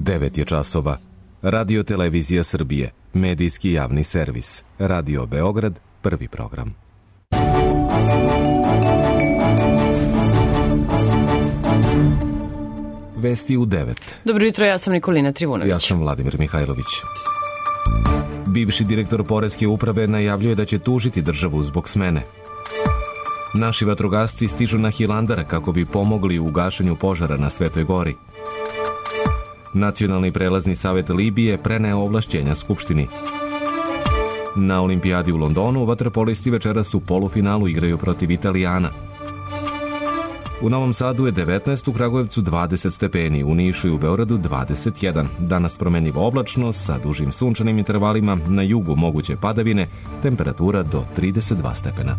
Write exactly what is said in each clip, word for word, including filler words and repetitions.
devet je časova. Radio Televizija Srbije, medijski javni servis. Radio Beograd, prvi program. Vesti u devet. Dobro jutro, ja sam Nikolina Trivunović. Ja sam Vladimir Mihajlović. Bivši direktor Poreske uprave najavljuje da će tužiti državu zbog smene. Naši vatrogasci stižu na Hilandar kako bi pomogli u gašenju požara na Svetoj gori. Nacionalni prelazni savet Libije preneo ovlašćenja Skupštini. Na olimpijadi u Londonu vaterpolisti večeras u polufinalu igraju protiv Italijana. U Novom Sadu je devetnaest, u Kragujevcu dvadeset stepeni, u Nišu i u Beogradu dvadeset jedan. Danas promenljivo oblačno sa dužim sunčanim intervalima, na jugu moguće padavine, temperatura do trideset dva stepena.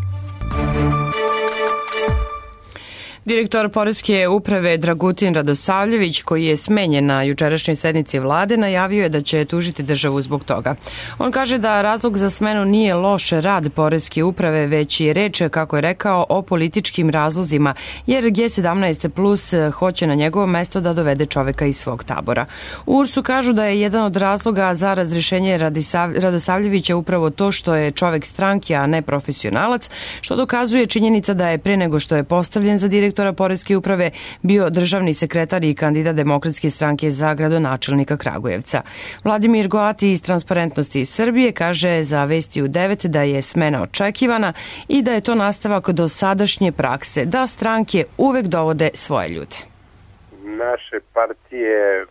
Direktor Poreske uprave Dragutin Radosavljević, koji je smenjen na jučerašnjoj sednici vlade, najavio je da će tužiti državu zbog toga. On kaže da razlog za smenu nije loš rad Poreske uprave, već je reč, kako je rekao, o političkim razlozima, jer G sedamnaest plus hoće na njegovo mesto da dovede čoveka iz svog tabora. U U R S-u kažu da je jedan od razloga za razrješenje Radosavljevića upravo to što je čovek stranke, a ne profesionalac, što dokazuje činjenica da je pre nego što je postavljen za direktora Poreske uprave bio državni sekretar i kandidat Demokratske stranke za gradonačelnika Kragujevca. Vladimir Goati iz Transparentnosti iz Srbije kaže za Vesti u devet da je smena očekivana i da je to nastavak do sadašnje prakse, da stranke uvek dovode svoje ljude. Naše partije,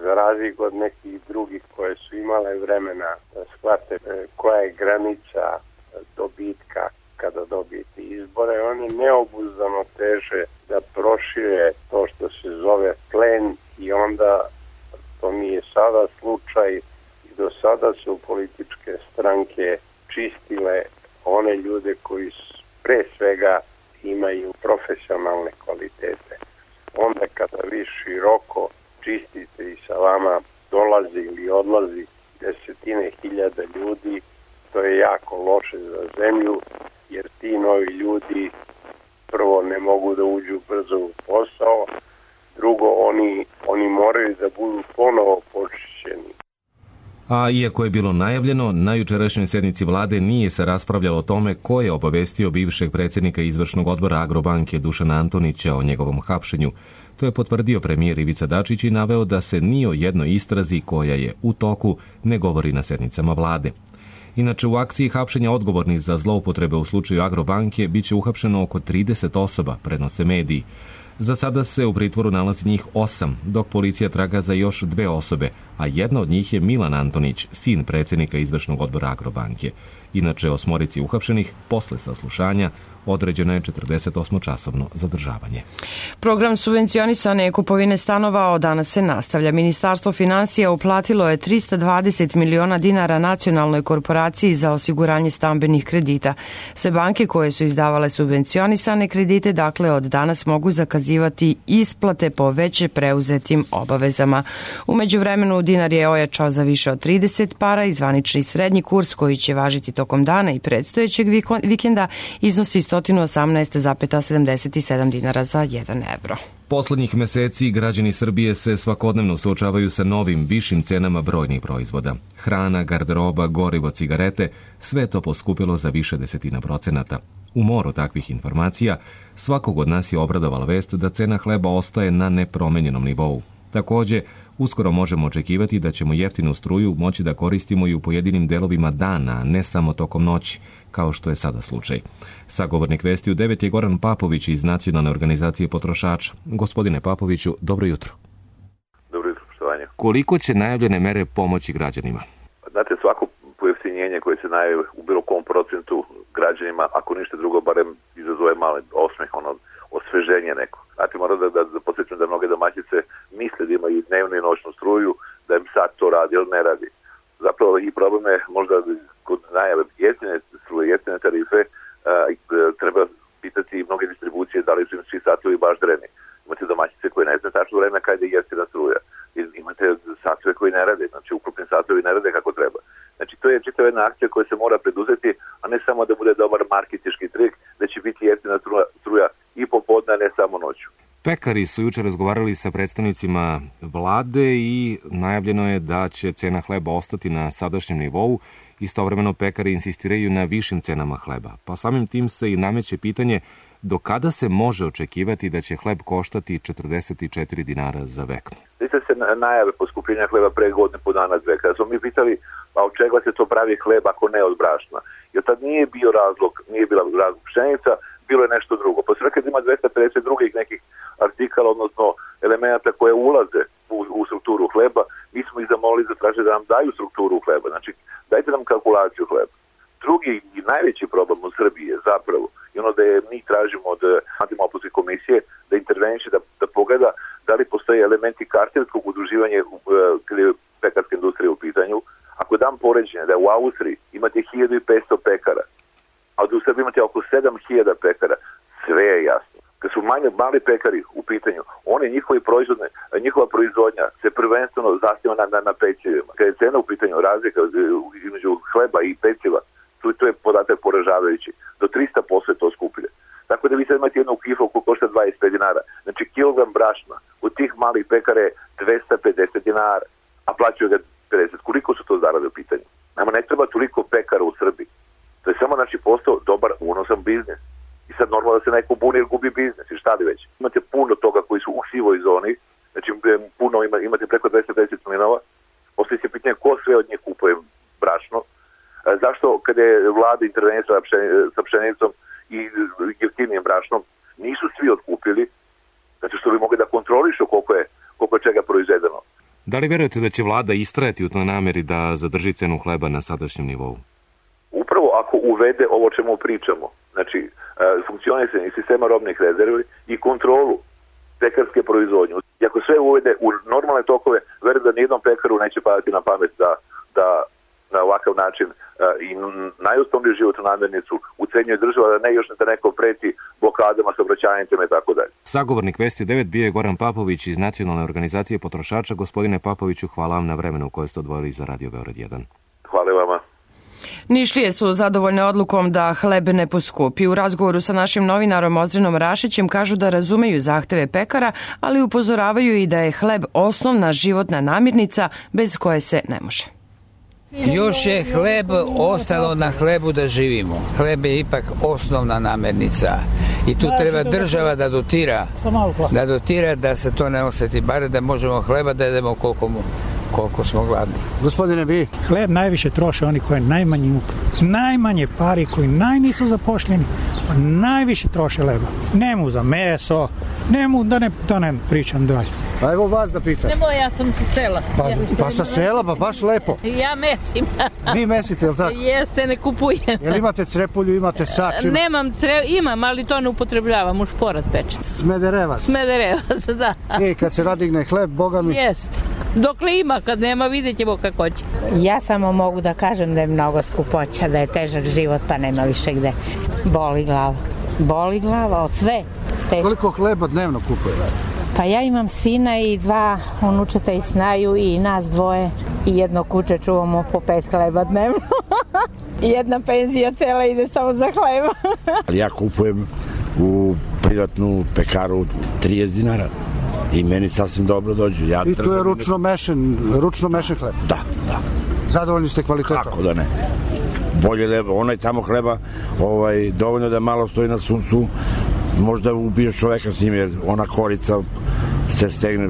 za razliku od nekih drugih koje su imale vremena da shvate koja je granica dobitka kada dobijete izbore, oni neobuzdano teže da prošire to što se zove plen i onda to nije sada slučaj i do sada su političke stranke čistile one ljude koji pre svega imaju profesionalne kvalitete. Onda kada vi široko čistite i sa vama dolazi ili odlazi desetine hiljada ljudi, to je jako loše za zemlju, jer ti novi ljudi prvo ne mogu da uđu brzo u posao, drugo oni, oni moraju da budu ponovo počišćeni. A iako je bilo najavljeno, na jučerašnjoj sednici vlade nije se raspravljalo o tome ko je obavestio bivšeg predsjednika izvršnog odbora Agrobanke Dušana Antonića o njegovom hapšenju. To je potvrdio premijer Ivica Dačić i naveo da se ni o jednoj istrazi koja je u toku ne govori na sednicama vlade. Inače, u akciji hapšenja odgovornih za zloupotrebe u slučaju Agrobanke biće uhapšeno oko trideset osoba, prenose mediji. Za sada se u pritvoru nalazi njih osam, dok policija traga za još dve osobe, a jedna od njih je Milan Antonić, sin predsjednika izvršnog odbora Agrobanke. Inače, osmorici uhapšenih, posle saslušanja, određeno je četrdesetosmočasovno zadržavanje. Program subvencionisane kupovine stanova od danas se nastavlja. Ministarstvo finansija uplatilo je trista dvadeset miliona dinara Nacionalnoj korporaciji za osiguranje stambenih kredita. Sve banke koje su izdavale subvencionisane kredite, dakle, od danas mogu zakazivati isplate po već preuzetim obavezama. U međuvremenu dinar je ojačao za više od trideset para i zvanični srednji kurs koji će važiti tokom dana i predstojećeg vikenda iznosi sto osamnaest zarez sedamdeset sedam dinara za jedan evro. Poslednjih meseci građani Srbije se svakodnevno suočavaju sa novim, višim cenama brojnih proizvoda. Hrana, garderoba, gorivo, cigarete, sve to poskupilo za više desetina procenata. U moru takvih informacija svakog od nas je obradovala vest da cena hleba ostaje na nepromenjenom nivou. Takođe, uskoro možemo očekivati da ćemo jeftinu struju moći da koristimo i u pojedinim delovima dana, a ne samo tokom noći, kao što je sada slučaj. Sagovornik Vesti u devet je Goran Papović iz Nacionalne organizacije potrošača. Gospodine Papoviću, dobro jutro. Dobro jutro, poštovanje. Koliko će najavljene mere pomoći građanima? Znate, svako pojeftinjenje koje se najavi u bilo kom procentu građanima, ako ništa drugo, barem izazove mali osmeh, ono, osveženje neko. Znate, moram da, da, da podsjećam da mnoge domaćice misle da imaju dnevnu i noćnu struju, da im sad to radi ili ne radi. Zapravo i problem je možda kod najave jeftine struje, jeftine tarife, a, treba pitati mnoge distribucije da li su im svi satovi baš dreni. Imate domaćice koje ne znaju tačno vreme kada je jeftina struja. Imate satove koji ne rade, znači ukrupni satovi ne rade kako treba. Znači to je čitava jedna akcija koja se mora preduzeti, a ne samo da bude dobar marketinški trik, da će biti jeftina struja i popodne, ne samo noću. Pekari su juče razgovarali sa predstavnicima vlade i najavljeno je da će cena hleba ostati na sadašnjem nivou. Istovremeno pekari insistiraju na višim cenama hleba. Pa samim tim se i nameće pitanje do kada se može očekivati da će hleb koštati četrdeset četiri dinara za veknu. Sjeća se najave poskupljenja hleba pre godine po dana dve. Kada smo mi pitali, a od čega se to pravi hleb ako ne od brašna? Jer tad nije bio razlog, nije bila razlog pšenica, bilo je nešto drugo. Pa se rekao da ima dvesta pedeset drugih nekih artikala, odnosno elemenata koje ulaze u, u strukturu hleba. Mi smo ih zamolili da traže da nam daju strukturu hleba. Znači, dajte nam kalkulaciju hleba. Drugi i najveći problem u Srbiji je zapravo i ono da je mi tražimo od antimopolske komisije da interveniše, da, da pogleda da li postoje elementi kartelskog udruživanja kada je pekarska industrija u pitanju. Ako dam poređenje da u Austriji imate hiljadu petsto pekara, a da u Srbiji imate oko sedam hiljada pekara, sve je jasno. Kad su manje, mali pekari u pitanju, oni njihovi proizvodne, njihova proizvodnja se prvenstveno zasniva na, na, na pecivima. Kad je cena u pitanju razlika između hleba i peciva, tu, tu je podatak poražavajući. Do trista posto je to skuplje. Tako da vi sad imate jednu kiflu koja košta dvadeset pet dinara. Znači kilogram brašna od tih malih pekara je dvesta pedeset dinara, a plaćaju ga pedeset. Koliko su to zarade u pitanju? Nama ne treba toliko pekara u Srbiji. To je samo znači postao dobar unosan biznis. I sad normalno da se neko buni jer gubi biznis i šta li već. Imate puno toga koji su u sivoj zoni, znači puno ima, imate preko dvesta pedeset mlinova. Postoji se pitanje ko sve od njih kupuje brašno. Zašto kada je vlada intervenirala sa pšenicom i jeftinijim brašnom nisu svi otkupili, znači što bi mogli da kontrolišu koliko je, koliko je čega proizvedeno. Da li verujete da će vlada istrajati u toj nameri da zadrži cenu hleba na sadašnjem nivou? Upravo ako uvede ovo čemu pričamo, znači funkcionisanje sistema robnih rezervi i kontrolu pekarske proizvodnje. I ako sve uvede u normalne tokove, verujem da nijednom pekaru neće padati na pamet da, da na ovakav način uh, i najosnovniju životnu namirnicu ucenjuje država, da ne još da neko preti blokadama, saobraćajnicama i tako dalje. Sagovornik Vesti devet bio je Goran Papović iz Nacionalne organizacije potrošača. Gospodine Papoviću, hvala vam na vremenu koje ste odvojili za Radio Beograd jedan. Hvala vama. Nišlije su zadovoljne odlukom da hleb ne poskupi. U razgovoru sa našim novinarom Ozrenom Rašićem kažu da razumeju zahteve pekara, ali upozoravaju i da je hleb osnovna životna namirnica bez koje se ne može. Još je hleb ostalo na hlebu da živimo. Hleb je ipak osnovna namirnica i tu treba država da dotira, da dotira da se to ne osjeti, bare da možemo hleba da jedemo koliko, koliko smo gladni. Gospodine, vi? Hleb najviše troše oni koji najmanje imaju, najmanje pari, koji najnisu zapošljeni, najviše troše hleba. Nemu za meso, nemu da ne, da ne pričam dalje. A evo vas da pitam. Nemoj, ja sam sa sela. Pa, pa sa sela, pa baš lepo. Ja mesim. Vi mesite, jel tako? Jeste, ne kupujem. Jel imate crepulju, imate sač? Ima... Nemam cre... imam, ali to ne upotrebljavam, u šporat pečem. Smederevac. Smederevac, da. I kad se nadigne hleb, Boga mi... Jeste. Dokle ima, kad nema, vidjet ćemo kako će. Ja samo mogu da kažem da je mnogo skupoća, da je težak život, pa nema više gde. Boli glava. Boli glava od sve. Teško. Koliko hleba dnevno kupuje? Pa ja imam sina i dva unučeta i snaju i nas dvoje i jedno kuće čuvamo po pet hleba dnevno. I jedna penzija cela ide samo za hleba. Ja kupujem u privatnu pekaru trideset dinara i meni sasvim dobro dođu. Ja I to je ručno mešen, ručno mešen hleb? Da, da. Zadovoljni ste kvalitetom? Kako da ne. Bolje hleba, onaj tamo hleba ovaj, dovoljno da malo stoji na suncu, možda ubiješ čoveka s njim jer ona korica se stegne.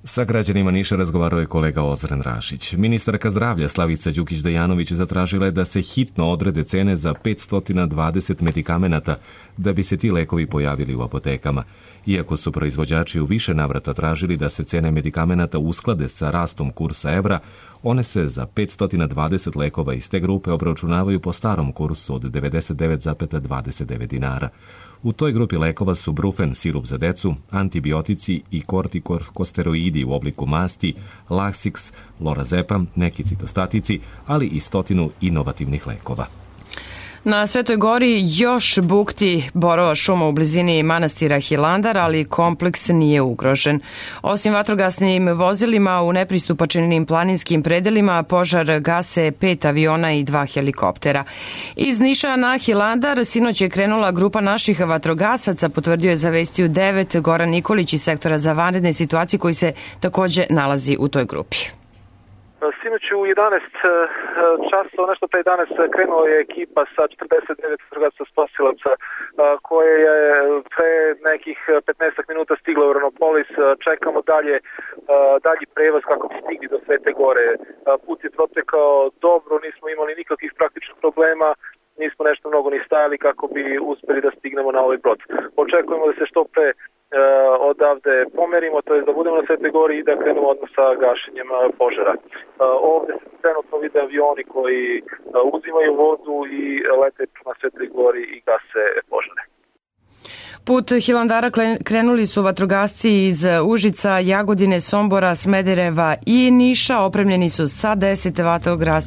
Sa građanima Niša razgovarao je kolega Ozren Rašić. Ministarka zdravlja Slavica Đukić-Dejanović zatražila je da se hitno odrede cene za petsto dvadeset medikamenata da bi se ti lekovi pojavili u apotekama. Iako su proizvođači u više navrata tražili da se cene medikamenata usklade sa rastom kursa evra, one se za petsto dvadeset lekova iz te grupe obračunavaju po starom kursu od devedeset devet zarez dvadeset devet dinara. U toj grupi lekova su brufen, sirup za decu, antibiotici i kortikosteroidi u obliku masti, Lasix, lorazepam, neki citostatici, ali i stotinu inovativnih lekova. Na Svetoj gori još bukti borova šuma u blizini manastira Hilandar, ali kompleks nije ugrožen. Osim vatrogasnim vozilima u nepristupačnim planinskim predelima, požar gase pet aviona i dva helikoptera. Iz Niša na Hilandar sinoć je krenula grupa naših vatrogasaca, potvrdio je za Vesti u devet Goran Nikolić iz sektora za vanredne situacije koji se takođe nalazi u toj grupi. Sinoć u jedanaest časova, nešto pre jedanaest, krenula je ekipa sa četrdeset devet vatrogasaca spasilaca koja je pre nekih petnaest minuta stigla u Ranopolis. Čekamo dalje, dalji prevoz kako bi stigli do Svete gore. Put je protekao dobro, nismo imali nikakvih praktičnih problema, nismo nešto mnogo ni stajali kako bi uspeli da stignemo na ovaj brod. Očekujemo da se što pre odavde pomerimo, to je da budemo na Svetoj gori i da krenemo odmah sa gašenjem požara. Ovde se trenutno vide avioni koji uzimaju vodu i lete na Svetoj gori i gase požare. Put Hilandara krenuli su vatrogasci iz Užica, Jagodine, Sombora, Smedereva i Niša. Opremljeni su sa deset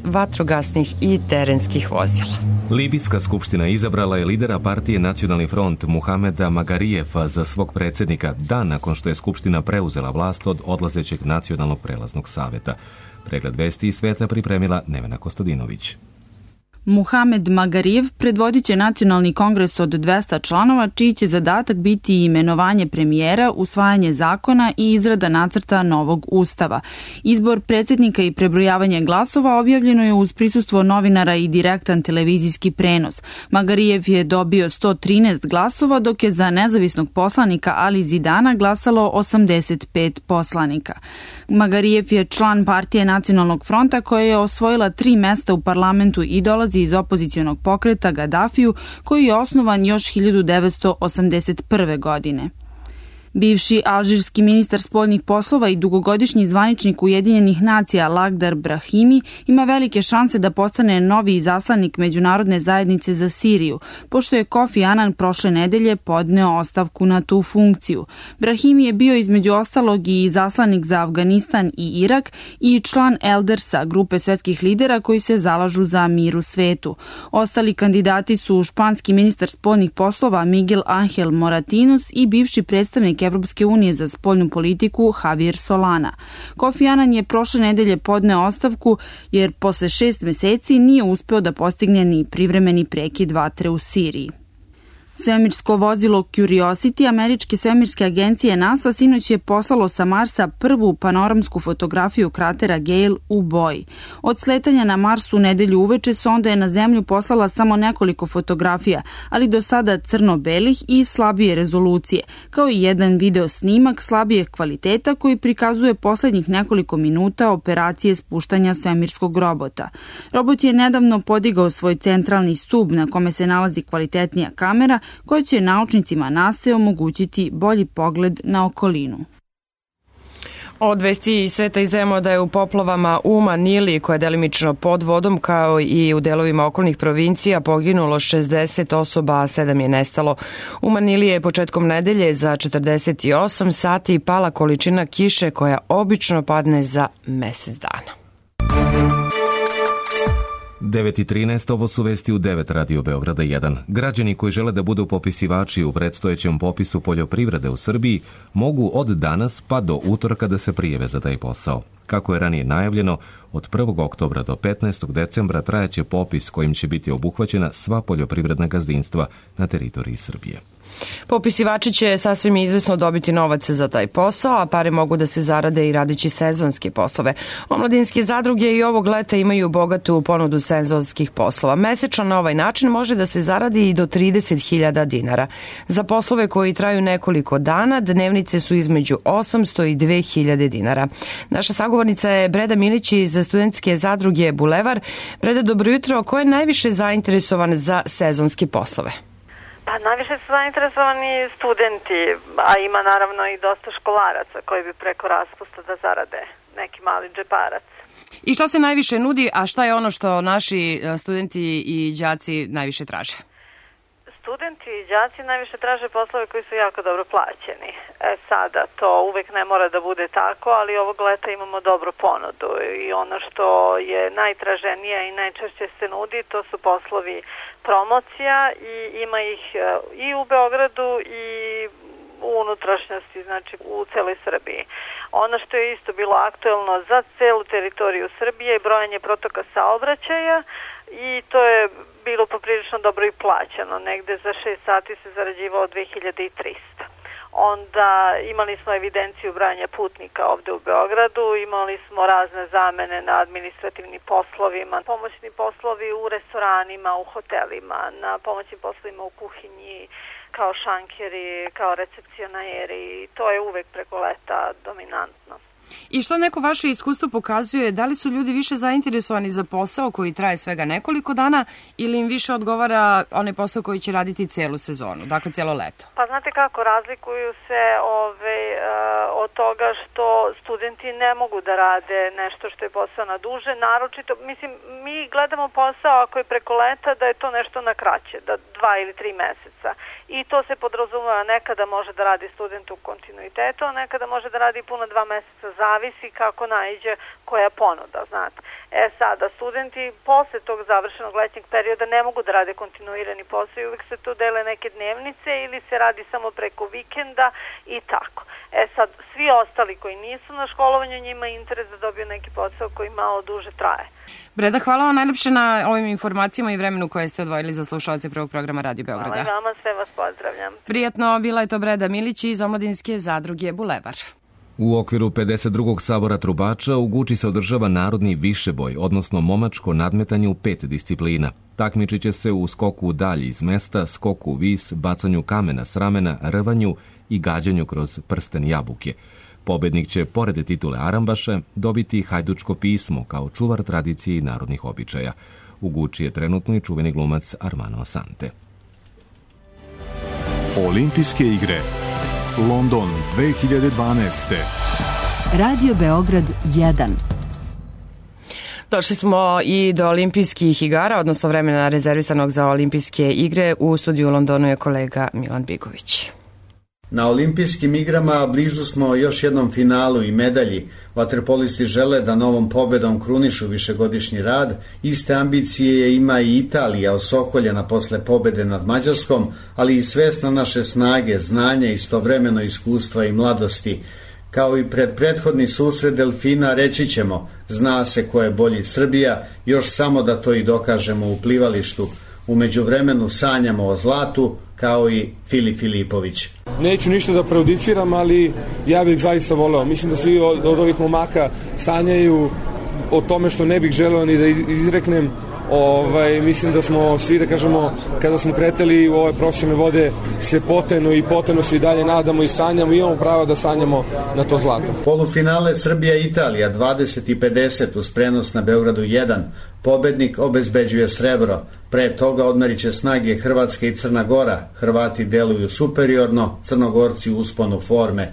vatrogasnih i terenskih vozila. Libijska skupština izabrala je lidera partije Nacionalni front Muhameda Magarijefa za svog predsjednika dan nakon što je skupština preuzela vlast od odlazećeg Nacionalnog prelaznog saveta. Pregled vesti iz sveta pripremila Nevena Kostadinović. Muhamed Magarijev predvodit će nacionalni kongres od dvesta članova, čiji će zadatak biti imenovanje premijera, usvajanje zakona i izrada nacrta novog ustava. Izbor predsjednika i prebrojavanje glasova objavljeno je uz prisustvo novinara i direktan televizijski prenos. Magarijev je dobio sto trinaest glasova, dok je za nezavisnog poslanika Ali Zidana glasalo osamdeset pet poslanika. Magarijev je član partije Nacionalnog fronta koja je osvojila tri mesta u parlamentu i dolazi iz opozicionog pokreta Gadafiju koji je osnovan još hiljadu devetsto osamdeset prve. godine. Bivši alžirski ministar spoljnih poslova i dugogodišnji zvaničnik Ujedinjenih nacija Lakhdar Brahimi ima velike šanse da postane novi izaslanik međunarodne zajednice za Siriju, pošto je Kofi Anan prošle nedelje podneo ostavku na tu funkciju. Brahimi je bio između ostalog i izaslanik za Afganistan i Irak i član Eldersa, grupe svetskih lidera koji se zalažu za mir u svetu. Ostali kandidati su španski ministar spoljnih poslova Miguel Angel Moratinos i bivši predstavnik Evropske unije za spoljnu politiku Javier Solana. Kofi Anan je prošle nedelje podneo ostavku jer posle šest meseci nije uspeo da postigne ni privremeni prekid vatre u Siriji. Svemirsko vozilo Curiosity američke svemirske agencije NASA sinoć je poslalo sa Marsa prvu panoramsku fotografiju kratera Gale u boji. Od sletanja na Mars u nedelju uveče sonda je na Zemlju poslala samo nekoliko fotografija, ali do sada crno-belih i slabije rezolucije, kao i jedan video snimak slabije kvaliteta koji prikazuje poslednjih nekoliko minuta operacije spuštanja svemirskog robota. Robot je nedavno podigao svoj centralni stub na kome se nalazi kvalitetnija kamera koja će naučnicima NASA omogućiti bolji pogled na okolinu. Od vesti iz sveta izdajemo da je u poplavama u Manili, koja je delimično pod vodom, kao i u delovima okolnih provincija, poginulo šezdeset osoba, a sedam je nestalo. U Manili je početkom nedelje za četrdeset osam sati pala količina kiše koja obično padne za mesec dana. devet i trinaest, ovo su vesti u devet Radio Beograda jedan. Građani koji žele da budu popisivači u predstojećem popisu poljoprivrede u Srbiji mogu od danas pa do utorka da se prijave za taj posao. Kako je ranije najavljeno, od prvog oktobra do petnaestog decembra trajaće popis kojim će biti obuhvaćena sva poljoprivredna gazdinstva na teritoriji Srbije. Popisivači će sasvim izvesno dobiti novac za taj posao, a pare mogu da se zarade i radići sezonske poslove. Omladinske zadruge i ovog leta imaju bogatu ponudu sezonskih poslova. Mesečno na ovaj način može da se zaradi i do trideset hiljada dinara. Za poslove koji traju nekoliko dana, dnevnice su između osamsto i dve hiljade dinara. Naša sagovornica je Breda Milić iz studentske zadruge Bulevar. Breda, dobro jutro. Ko je najviše zainteresovan za sezonske poslove? Pa najviše su zainteresovani studenti, a ima naravno i dosta školaraca koji bi preko raspusta da zarade neki mali džeparac. I što se najviše nudi, a šta je ono što naši studenti i đaci najviše traže? studenti i đaci najviše traže poslove koji su jako dobro plaćeni. E sada, to uvek ne mora da bude tako, ali ovog leta imamo dobru ponudu i ono što je najtraženija i najčešće se nudi, to su poslovi promocija i ima ih i u Beogradu i u unutrašnjosti, znači u celoj Srbiji. Ono što je isto bilo aktuelno za celu teritoriju Srbije je brojanje protoka saobraćaja i to je bilo poprilično dobro i plaćeno. Negde za šest sati se zarađivao dve hiljade trista. Onda imali smo evidenciju brojanja putnika ovde u Beogradu, imali smo razne zamene na administrativnim poslovima, pomoćni poslovi u restoranima, u hotelima, na pomoćnim poslovima u kuhinji, kao šankeri, kao recepcionajeri. To je uvek preko leta dominantno. I što neko vaše iskustvo pokazuje, da li su ljudi više zainteresovani za posao koji traje svega nekoliko dana ili im više odgovara onaj posao koji će raditi celu sezonu, dakle cijelo leto? Pa znate kako, razlikuju se ove, od toga što studenti ne mogu da rade nešto što je posao na duže, naročito, mislim, mi gledamo posao ako je preko leta da je to nešto na kraće, da dva ili tri meseca. I to se podrazumeva, nekada može da radi student u kontinuitetu, a nekada može da radi puno dva meseca, zavisi kako naiđe koja ponuda, znate. E sada, studenti posle tog završenog letnjeg perioda ne mogu da rade kontinuirani posao i uvijek se tu dele neke dnevnice ili se radi samo preko vikenda i tako. E sad, svi ostali koji nisu na školovanju, njima je interes da dobiju neki posao koji malo duže traje. Breda, hvala vam najlepše na ovim informacijama i vremenu koje ste odvojili za slušalce prvog programa Radio Beograda. Hvala i vama, sve vas pozdravljam. Prijatno, bila je to Breda Milić iz Omladinske zadruge Bulevar. U okviru pedeset drugog sabora trubača u Guči se održava narodni višeboj, odnosno momačko nadmetanje u pet disciplina. Takmičit će se u skoku u dalji iz mesta, skoku u vis, bacanju kamena s ramena, rvanju i gađanju kroz prsten jabuke. Pobednik će, pored titule Arambaša, dobiti hajdučko pismo kao čuvar tradicije i narodnih običaja. U Guči je trenutno i čuveni glumac Armando Assante. Olimpijske igre London dve hiljade dvanaeste. Radio Beograd jedan. Došli smo i do olimpijskih igara, odnosno vremena rezervisanog za olimpijske igre. U studiju u Londonu je kolega Milan Bigović. Na olimpijskim igrama blizu smo još jednom finalu i medalji. Vaterpolisti žele da novom pobedom krunišu višegodišnji rad. Iste ambicije ima i Italija, osokoljena posle pobede nad Mađarskom, ali i svesna naše snage, znanja, istovremeno iskustva i mladosti. Kao i pred prethodni susret delfina reći ćemo, zna se ko je bolji Srbija, još samo da to i dokažemo u plivalištu. U međuvremenu sanjamo o zlatu, kao i Filip Filipović. Neću ništa da prejudiciram, ali ja bih zaista voleo. Mislim da svi od, od ovih momaka sanjaju o tome što ne bih želeo ni da izreknem. Ovaj, mislim da smo svi, da kažemo, kada smo kretali u ove profesionalne vode, se poteno i poteno se i dalje nadamo i sanjamo i imamo pravo da sanjamo na to zlato. Polufinale Srbija-Italija dvadeset i pedeset uz prenos na Beogradu jedan. Pobednik obezbeđuje srebro. Pre toga odmerit će snage Hrvatska i Crna Gora. Hrvati deluju superiorno, Crnogorci u usponu forme.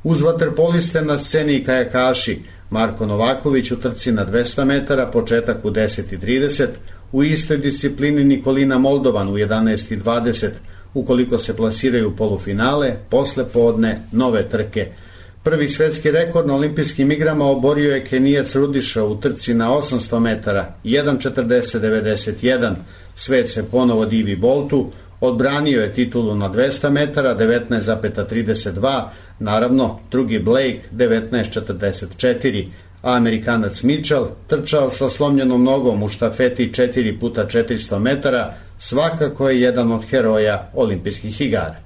Uz vaterpoliste na sceni i kajakaši. Marko Novaković u trci na dvesta metara, početak u deset i trideset, u istoj disciplini Nikolina Moldovan u jedanaest i dvadeset, ukoliko se plasiraju u polufinale, posle podne nove trke. Prvi svetski rekord na olimpijskim igrama oborio je Kenijac Rudiša u trci na osamsto metara, jedan četrdeset devedeset jedan, svet se ponovo divi Boltu, odbranio je titulu na dvesta metara, devetnaest trideset dva, naravno drugi Blake devetnaest četrdeset četiri, a Amerikanac Mitchell trčao sa slomljenom nogom u štafeti četiri puta četiristo metara, svakako je jedan od heroja olimpijskih igara.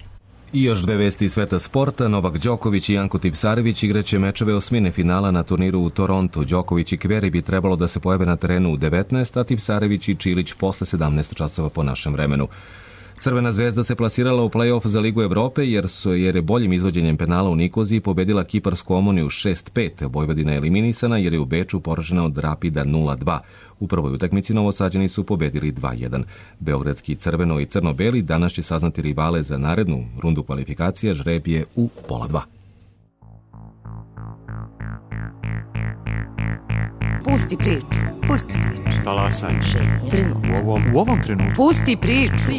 I još dve vesti iz sveta sporta. Novak Đoković i Janko Tipsarević igraće mečeve osmine finala na turniru u Torontu. Đoković i Kveri bi trebalo da se pojave na terenu u devetnaest, a Tipsarević i Čilić posle sedamnaest časova po našem vremenu. Crvena zvezda se plasirala u play-off za Ligu Evrope jer, su, jer je boljim izvođenjem penala u Nikoziji pobedila kiparsku Omoniju šest pet. Vojvodina je eliminisana jer je u Beču poražena od Rapida nula dva. U prvoj utakmici Novosađani su pobedili dva jedan. Beogradski crveno i crno-beli danas će saznati rivale za narednu rundu kvalifikacija, žreb je u pola dva. Pusti priču. Pusti priču. Talasaj. Trenut. U ovom, u ovom trenutku. Pusti priču.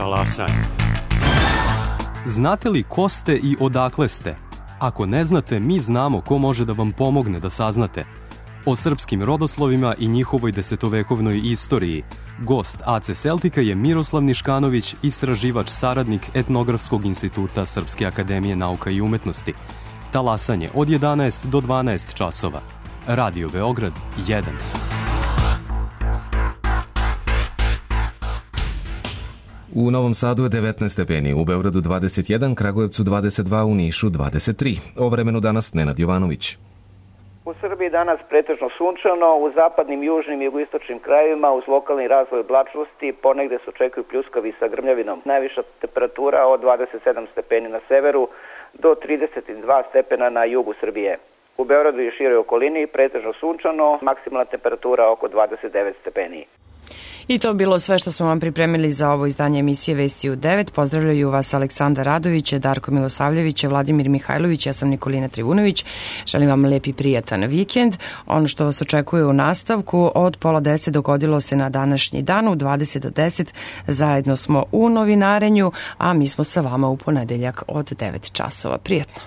talasanje. Znate li ko ste i odakle ste? Ako ne znate, mi znamo ko može da vam pomogne da saznate. O srpskim rodoslovima i njihovoj desetovekovnoj istoriji. Gost A C Celtica je Miroslav Niškanović, istraživač, saradnik Etnografskog instituta Srpske akademije nauka i umetnosti. Talasanje od jedanaest do dvanaest časova. Radio Beograd jedan. U Novom Sadu je devetnaest stepeni, u Beogradu dvadeset jedan, Kragujevcu dvadeset dva, u Nišu dvadeset tri. O vremenu danas Nenad Jovanović. U Srbiji danas pretežno sunčano, u zapadnim, južnim i jugoistočnim krajevima uz lokalni razvoj oblačnosti ponegde se očekuju pljuskavi sa grmljavinom. Najviša temperatura od dvadeset sedam stepeni na severu do trideset dva stepena na jugu Srbije. U Beogradu i široj okolini pretežno sunčano, maksimalna temperatura oko dvadeset devet stepeni. I to bilo sve što smo vam pripremili za ovo izdanje emisije Vesti u devet. Pozdravljaju vas Aleksandar Radović, Darko Milosavljević, Vladimir Mihajlović, ja sam Nikolina Trivunović. Želim vam lep i prijatan vikend. Ono što vas očekuje u nastavku od pola deset dogodilo se na današnji dan, u dvadeset do deset zajedno smo u novinarenju, a mi smo sa vama u ponedeljak od devet časova. Prijetno.